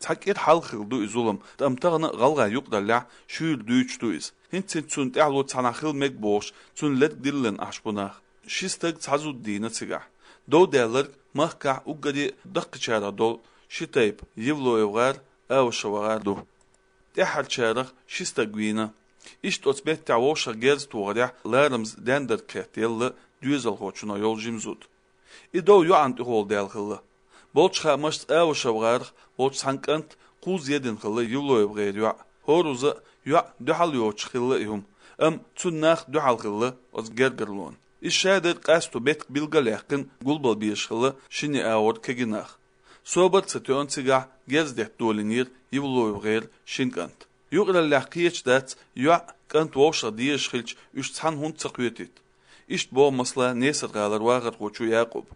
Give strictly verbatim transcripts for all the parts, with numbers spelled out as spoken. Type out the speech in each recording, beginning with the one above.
Цхьа кӀира хьалха хилла ду и зулам, амма тахана гӀалгӀай юкъараллехь шуьйра дуьйцуш ду иза. ХӀинца-хӀинца цунна тӀаьхьало цхьанхьа хила мега бохуш, цунна лерг диллина Ӏаш бу нах. Ши стаг цхьа зуда дийна цигахь. Дов даьлларг махкахь уггаре а даккхийчарах долу ши тайпа: ЕвлоевгӀар, АвашевгӀар ду. ТӀаьххьарчарах ши стаг вийна. Иштта оцу меттехь вовшах герз тохарехь ларамаза дендарг кхетта елла доьзалхочунах йолу жима зуда. И дов йоӀана тӀехула даьлла хилла. Болчу хаамашца, АвашевгӀарах волчу цхьана кӀанта кхузза едина хилла ЕвлоевгӀеран йоӀ. ХӀоразза а йоӀ дуьхьал йоцуш хилла и хӀума, амма цуьнан нах дуьхьал хилла оцу гергарлонан. Иза шадерг къасто меттиг билгал а яьккхина, гулбала безаш хилла шина агӀор кегий нах. Собар а ца тоьъна, цигахь герз детта долийнера ЕвлоевгӀеран шина кӀанта. Юкъараллехь кхеташ дац йоӀ, кӀант вовшах дезаш хилча, уьш цхьаьна хӀунда ца кхетийта? Иштта боху, масала, Несар-гӀалара вахархочо Якъуба.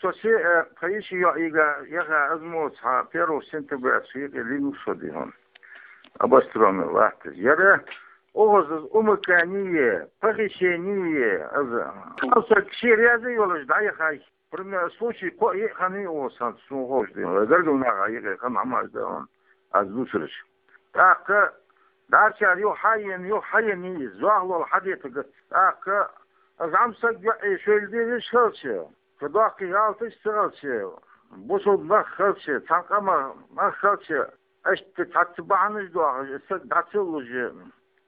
Со се а, тхан йишин йоӀ йига яха азмоца хьан первого сентября шен юкъе линуш шо дихьун. Обострённый латташ. Яра оха аза умыкание, похищение, аза. Аса кши реза йолаш дӀаяхай. Пример случай кхо а хан и оха сан суна ховш дин. Гаргал наха йига хан хьамаш да он. Аз дусараш. ТӀаккха дарчар юха хьайен, юха хьайен и, зохлол хьадетага. ТӀаккха аз гӀамсаг йоӀе шойл дезаш халча. Ца доккхий гӀалташ ца хилча, бусулба нах хилча, цхьана къаман нах хилча, аша цхьацца бахьанаш дохуш, и саг дӀа ца луш,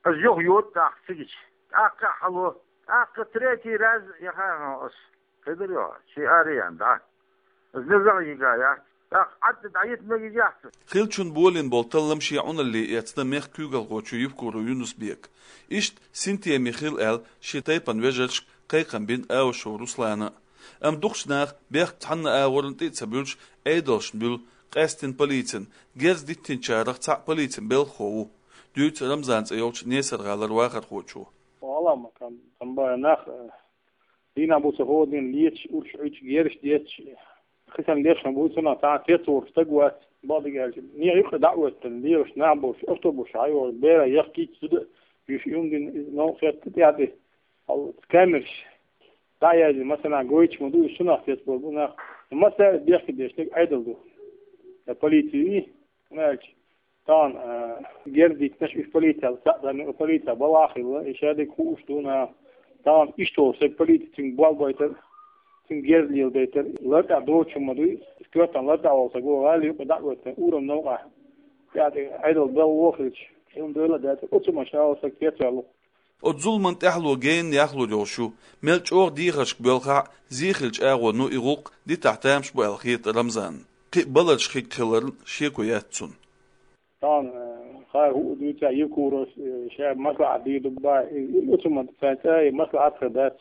аса юха йода тӀаккха цигича. ТӀаккха а хьало, тӀаккха третий раз яхана аса. Кхидара йо, ши араян дӀа. Аса низагӀа йига яц. ТӀаккха Ӏадда дӀайита мегаш яц. Хиллачун болийна болу таллам шен Ӏуналле эцна мехкан куьйгалхочо Евкуров Юнус-Бека. Иштта синтеме хила аьлла, шен тайпана вежаршка кхайкхам бина Авашов Руслана. Амма дукхачу наха бехк цхьанна агӀорна тӀе а ца буьллуш, Ӏедалшна буьллу, къаьстина полицина. Герз диттинчарах цхьаъ полицин белхахо ву, дуьйцу Рамзан цӀе йолчу Несар-гӀалара вахархочо. Валлахь, ма кан, кан бара нах, э, дийнахь бу ца хӀодан леташ, урш Ӏуьйчу гераш детташ, хи санна леш ма бу, цунах цхьа а цецвогӀуш стаг вац, бакъдерг аьлча. Нехан юкъа дӀа а оьттина, лелаш нах болуш, автобус хьайогӀуш, бера яхкийча зуда а, юьш юм дина, иза новкъа хетта тӀаьхьа тӀе. Хьал камераш дӀа а яздина, массанхьа гойтуш ма ду, уьш цунах цецбар бу нах. Массаьрга бехке деш дерг Ӏедал ду. Я полици вий, хӀунда аьлча тахана, а, герз диттинарш уьш полицел схьа а даьлла, полице балха а хилла, и шадерг хууш ду наха. Тахана иштта волу стаг полици цуьнга болх байтар, цуьнга герз леладайтар, лар тӀехь доцуш хӀума ма дуй, коьртана лар тӀехь волу стаг ву, гӀала юкъа дӀа а оьттина, урам новкъахь, тӀаьхьа тӀе Ӏедал белла вохуьлча, хӀума дойла а даьлла, оцу машина волу стаг кхетаваьлла. Оцу зуламан тӀаьхьало генна яхлур йолуш ю, мел чӀогӀа дехаршка боьлхахь а, зен хиллачу агӀоно и гӀуллакх дитахь тамаш бу аьлла хета Рамзанна. Кхин а баларш хиг хиларна шеко яц цунна. Тахана, э, хӀара хӀуъа дуьйцу Евкуровс, э, ша маслаӀат дийр ду боху, и, и, оцу ма цара цӀа, и маслаӀат хир дац.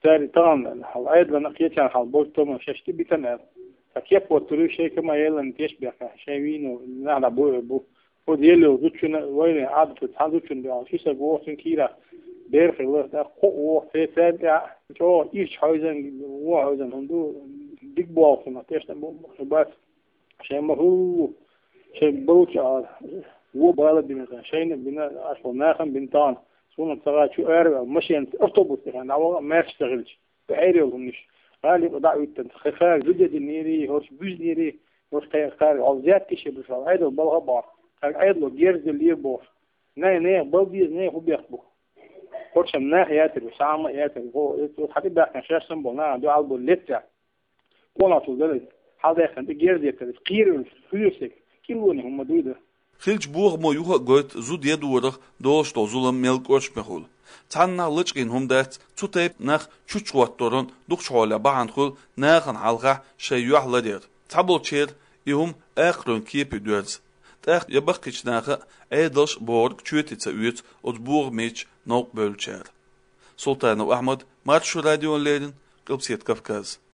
Цара тахана хьал Ӏедална кхечарна хьал болчу томан шаьш тӀе битина аьлла. Сан кеп оттур ю, шайн кама елларна тешнабехкахь, шайн вийна нах дӀа бу а бу. Оцу елла йолу зудчунна, вайна Ӏадатца цхьана зудчунна дуьхьал ши саг воху, цуьнан кийрахь бер хилла, тӀаккха кхоъ воху, церан тӀехь чӀогӀа ирча хьойзан, вон хьойзан хӀума ду, дика болх хӀума, тешна бу, бац. Шайн ма хӀу, шайн болчу а, вон бала бина, шайна а бина, аша нахана а бина тахана. Суна ца гӀа чу ара ваьлла, машенаца автобус тӀехь дӀаваха, маьрша ца хилча. Ӏер йолу хӀуманаш. ГӀала юкъа дӀа а оьттина, кхин кхара зуда динера, хӀорш буьзнера, хӀорш кхин кхара хьал зетташ а буьш, хьал Ӏедал балха а бахьа, кхара Ӏедало герз деллера бохуш. Най, нехан бала деза, нехан хӀун бехк бу? ХӀорш-м нах яцара, шаьш-м яцара, хӀо, оцу хьан тӀе баьхкина шаьш санна болу нахана дуьхьал болу летта. Къонахчул дара иза. Хьалдаьккхина тӀе герз деттара, иза кхийра а, хуьйра стаг, кӀиллоне хӀума дуй дан. Хиллачу бохамо юха а гойту зуда едорах долуш долу зулам мел кӀоршаме хуьлу. Цхьаннахьа лачкъийна хӀума дац, цу тайпа нах чучча хӀотторан дукхачу хьолехь бахьана хуьлу нахана хьалхахь шайн юьхь ларъяр. Цхьаболчеран и хӀума акхаройн кепе доьрзу. ТӀаккха я баккхийчу наха а, Ӏедалша а бохург чоьте ца оьцу оцу бохамечу новкъа бевллачара. Султанов Ахьмад, Маршо радиона леррина, Къилбаседа Кавказ.